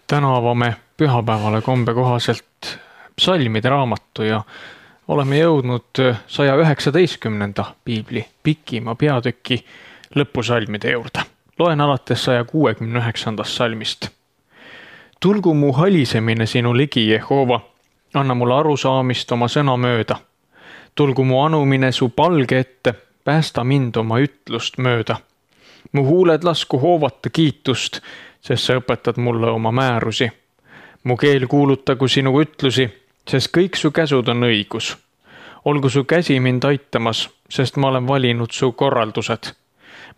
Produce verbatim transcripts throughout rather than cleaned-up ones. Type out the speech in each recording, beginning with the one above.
Täna avame pühapäevale kombe kohaselt psalmide raamatu ja oleme jõudnud saja üheksateistkümnenda piibli pikima peatüki lõpusalmide juurde. Loen alates saja kuuekümne üheksandast salmist. Tulgu mu halisemine sinu ligi, Jehova, anna mulle arusaamist oma sõna mööda. Tulgu mu anumine su palge ette, päästa mind oma ütlust mööda. Mu huuled lasku hoovata kiitust, sest sa õpetad mulle oma määrusi. Mu keel kuulutagu sinu ütlusi, sest kõik su käsud on õigus. Olgu su käsi mind aitamas, sest ma olen valinud su korraldused.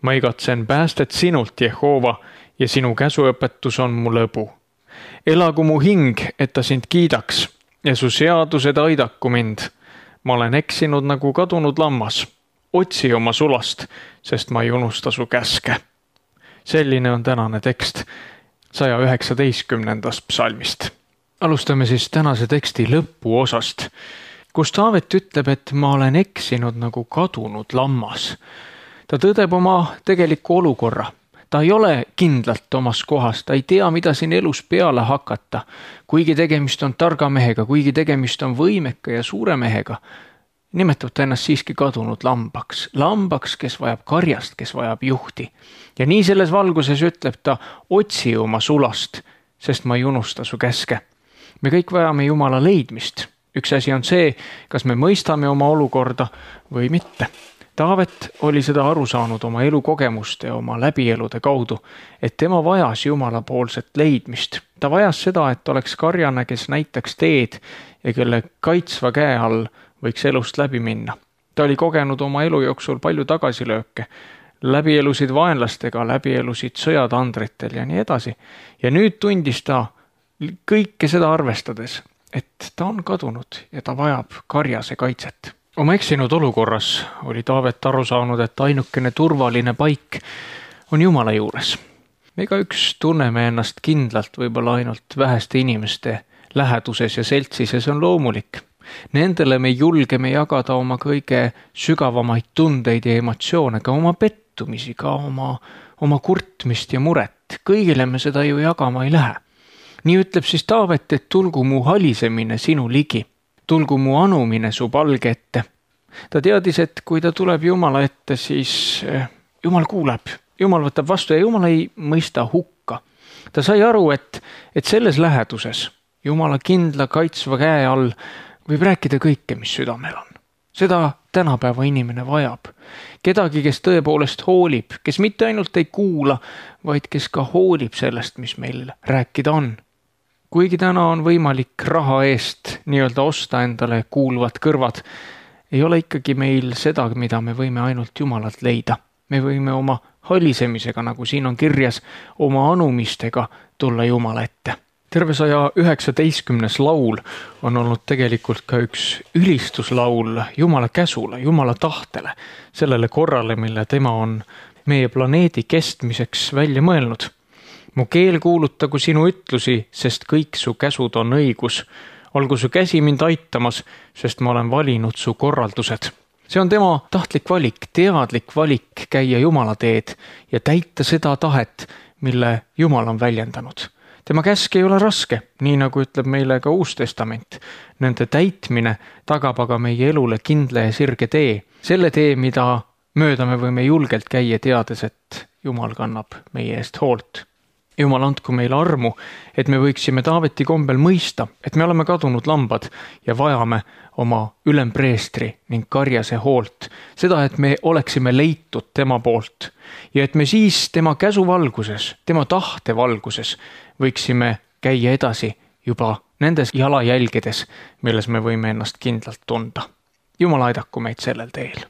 Ma igatsen päästet sinult, Jehova, ja sinu käsuõpetus on mu lõbu. Elagu mu hing, et ta sind kiidaks, ja su seadused aidaku mind. Ma olen eksinud nagu kadunud lammas. Otsi oma sulast, sest ma ei unusta su käske. Selline on tänane tekst saja üheksateistkümnendast psalmist. Alustame siis tänase teksti lõpuosast, kus Taavet ütleb, et ma olen eksinud nagu kadunud lammas. Ta tõdeb oma tegeliku olukorra. Ta ei ole kindlalt omas kohas, ta ei tea, mida siin elus peale hakata. Kuigi tegemist on targa mehega, kuigi tegemist on võimeka ja suure mehega, nimetab ta ennast siiski kadunud lambaks. Lambaks, kes vajab karjast, kes vajab juhti. Ja nii selles valguses ütleb ta, otsi oma sulast, sest ma ei unusta su käske. Me kõik vajame Jumala leidmist. Üks asi on see, kas me mõistame oma olukorda või mitte. Taavet oli seda aru saanud oma elukogemuste ja oma läbielude kaudu, et tema vajas Jumala poolset leidmist. Ta vajas seda, et oleks karjane, kes näitaks teed ja kelle kaitsva käe all võiks elust läbi minna. Ta oli kogenud oma elu jooksul palju tagasilööke, läbielusid vaenlastega, läbielusid sõjatandritel ja nii edasi. Ja nüüd tundis ta kõike seda arvestades, et ta on kadunud ja ta vajab karjase kaitset. Oma eksinud olukorras oli Taavet aru saanud, et ainukene turvaline paik on Jumala juures. Me igaüks tunneme ennast kindlalt võib-olla ainult väheste inimeste läheduses ja seltsis ja see on loomulik. Nendele me julgeme jagada oma kõige sügavamaid tundeid ja emotsioone, ka oma pettumisi, ka oma, oma kurtmist ja muret. Kõigile me seda ju jagama ei lähe. Nii ütleb siis Taavet, et tulgu mu halisemine sinu ligi. Tulgu mu anumine su palge ette. Ta teadis, et kui ta tuleb Jumala ette, siis Jumal kuuleb. Jumal võtab vastu ja Jumal ei mõista hukka. Ta sai aru, et, et selles läheduses Jumala kindla kaitsva käe all võib rääkida kõike, mis südamel on. Seda tänapäeva inimene vajab. Kedagi, kes tõepoolest hoolib, kes mitte ainult ei kuula, vaid kes ka hoolib sellest, mis meil rääkida on. Kuigi täna on võimalik raha eest nii-öelda osta endale kuuluvad kõrvad, ei ole ikkagi meil seda, mida me võime ainult Jumalalt leida. Me võime oma halisemisega, nagu siin on kirjas, oma anumistega tulla Jumala ette. Terve saja üheksateistkümnes laul on olnud tegelikult ka üks ülistuslaul Jumala käsule, Jumala tahtele, sellele korrale, mille tema on meie planeedi kestmiseks välja mõelnud. Mu keel kuulutagu sinu ütlusi, sest kõik su käsud on õigus. Olgu su käsi mind aitamas, sest ma olen valinud su korraldused. See on tema tahtlik valik, teadlik valik käia Jumala teed ja täita seda tahet, mille Jumal on väljendanud. Tema käsk ei ole raske, nii nagu ütleb meile ka Uus Testament. Nende täitmine tagab aga meie elule kindla ja sirge tee. Selle tee, mida mööda me võime julgelt käia teades, et Jumal kannab meie eest hoolt. Jumal andku meile armu, et me võiksime Taaveti kombel mõista, et me oleme kadunud lambad ja vajame oma ülempreestri ning karjase hoolt. Seda, et me oleksime leitud tema poolt ja et me siis tema käsu valguses, tema tahte valguses võiksime käia edasi juba nendes jalajälgedes, milles me võime ennast kindlalt tunda. Jumal aidaku meid sellel teel.